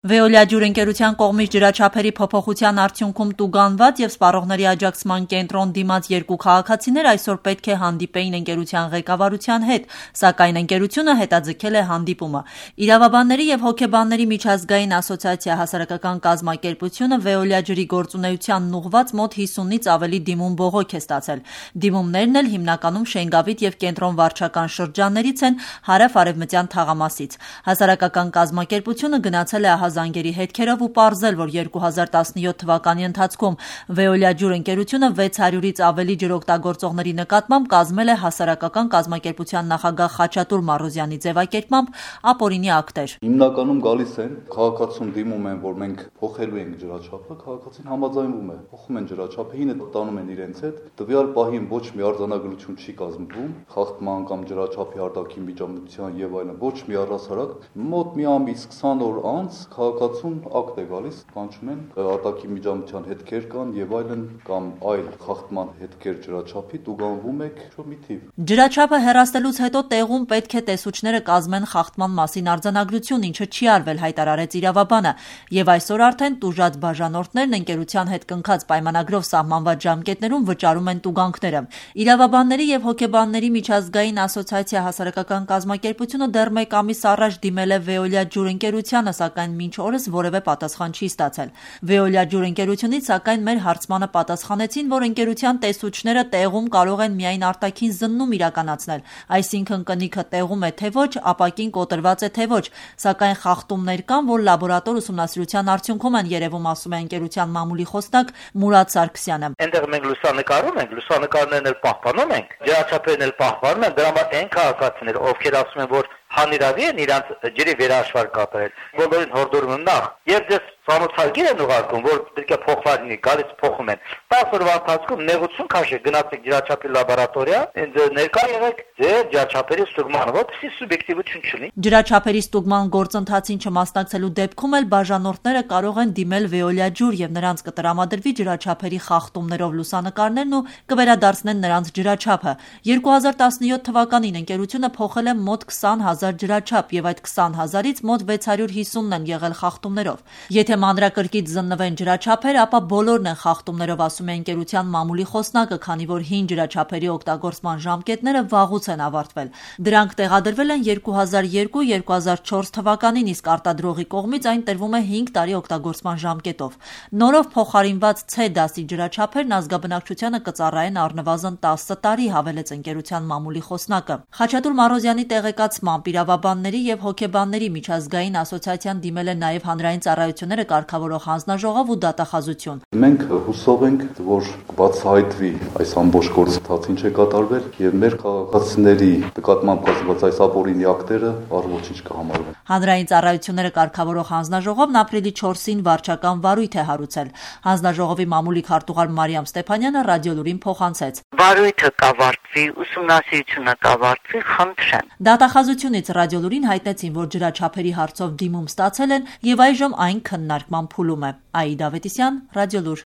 Veolia ջուրընկերության կողմից ջրաչափերի փոփոխության արդյունքում տուգանված և սպառողների աջակցման կենտրոն դիմաց երկու քաղաքացիներ այսօր պետք է հանդիպեին ընկերության ղեկավարության հետ, սակայն ընկերությունը հետաձգել է հանդիպումը։ Իրավաբանների և հոգեբանների միջազգային ասոցիացիա հասարակական կազմակերպությունը Veolia ջրի գործունեությանն ուղղված մոտ 50-ից ավելի դիմում բողոք է ստացել։ Դիմումներն էլ հիմնականում Շենգավիթ և Կենտրոն վարչական շրջաններից են հարավ-արևմտյան թաղամասից։ Հասարակական կազմակերպությունը գնացել է զանգերի հետքերով ու պարզել, որ 2017 թվականի ընթացքում Veolia ջուրընկերությունը 600-ից ավելի ջրօգտագործողների նկատմամբ կազմել է հասարակական կազմակերպության նախագահ Խաչատուր Մարոզյանի ձևակերպմամբ ապօրինի ակտեր։ Հիմնականում գալիս են քաղաքացուն դիմում են, որ մենք փոխելու ենք ջրաչափը, քաղաքացին համաձայնվում է, փոխում են ջրաչափը, հինը տանում են իրենց հետ, տվյալ պահին ոչ մի արձանագրություն չի կազմվում, խախտման կամ ջրաչափի արտաքին միջամտության եւ այլն, ոչ մի առհասարակ, մոտ մի ամիս 20 օր անց քաղաքացուն ակտ է գալիս, կանչում են արտաքին միջամտության հետքեր կան եւ այլն կամ այլ խախտման հետքեր ջրաչափի տուգանվում եք մի թիվ։ Ջրաչափը հեռացնելուց հետո տեղում պետք է տեսուչները կազմեն խախտման մասին արձանագրություն, ինչը չի արվել, հայտարարեց իրավաբանը, եւ այսօր արդեն տուժած բաժանորդներն ընկերության հետ կնքած պայմանագրով սահմանված ժամկետներում վճարում են տուգանքները։ Իրավաբանների եւ հոգեբանների միջազգային ասոցիացիա հասարակական կազմակերպությունը դեռ մեկ ամիս առաջ դիմել է Veolia ջուրընկերությանը, սակայն մինչ օրս որևէ պատասխան չի ստացել։ Veolia ջուրընկերությունից սակայն մեր հարցմանը պատասխանեցին, որ ընկերության տեսուչները տեղում կարող են միայն արտաքին զննում իրականացնել, այսինքն կնիքը տեղում է թե ոչ, ապակին կոտրված է թե ոչ, սակայն խախտումներ կան, որ լաբորատոր ուսումնասիրության արդյունքում են երևում, ասում է ընկերության մամուլի խոսնակ Մուրադ Սարգսյանը։ Այնտեղ մենք լուսանկարում ենք, լուսանկարներն էլ պահպանում ենք, ջրաչափերն էլ պահպանում են, դրա համար այն քաղաքացիներ, ովքեր ասում են, որ հանիրավի են իրանց ջրի վերահաշվար կատարել, բոլորին հորդորում եմ նախ, եւ դες ծանոթալգիր են ուղարկում, որ պետք է փոխված լինի, գալիս փոխում են։ 10 օրվա ընթացքում նեղություն քաշեք, գնացեք ջրաչափի լաբորատորիա, ներկա եղեք ձեր ջրաչափերի ստուգմանը, որպեսզի սուբյեկտիվություն չլինի։ Ջրաչափերի ստուգման գործընթացին չմասնակցելու դեպքում էլ բաժանորդները կարող են դիմել Veolia ջուր եւ նրանց կտրամադրվի ջրաչափերի խախտումներով լուսանկարներն ու կվերադարձնեն նրանց ջրաչափը։ 2017 թվականին ընկերությունը փոխել է մոտ 20,000 ջրաչափ եւ այդ 20,000-ից մոտ 650-ն են եղել խախտումներով։ Եթե մանրակրկիտ զննվեն ջրաչափեր, ապա բոլորն են խախտումներով, ասում է ընկերության մամուլի խոսնակը, քանի որ հին ջրաչափերի օգտագործման ժամկետները վաղուց են ավարտվել։ Դրանք տեղադրվել են 2002-2004 թվականին, իսկ արտադրողի կողմից այն տրվում է 5 տարի օգտագործման ժամկետով։ Նորով փոխարինված C դասի ջրաչափերն ազգաբնակչությանը կծառայեն առնվազն 10 տարի, հավելեց ընկերության մամուլի խոսնակը։ Խաչատուր Մարոզյանի տեղեկացմամբ իրավաբանների եւ հոգեբանների միջազգային ասոցիացիան դիմել է նաեւ հանրային ծառայությունները կարգավորող հանձնաժողով ու դատախազություն։ Մենք հուսով ենք, որ բացահայտվի այս ամբողջ գործընթացը ինչ է կատարվել եւ մեր քաղաքացիների նկատմամբ կազմված այս ապօրինի ակտերը առողջիչ կհամարվեն։ Հանրային ծառայությունները կարգավորող հանձնաժողովն ապրիլի 4-ին վարչական վարույթ է հարուցել։ Հանձնաժողովի մամուլի քարտուղար Մարիամ Ստեփանյանը Ռադիոլուրին փոխանցեց. Վարույթը կավարտվի, ուսումնասիրությունը կավարտվի, խնդրեմ։ Դատախազությունից Ռադիոլուրին հայտնեցին, որ ջրաչափերի հարցով դիմում ստացել են եւ այժմ այն քննարկման փուլում է։ Աիդա Ավետիսյան, Ռադիոլուր։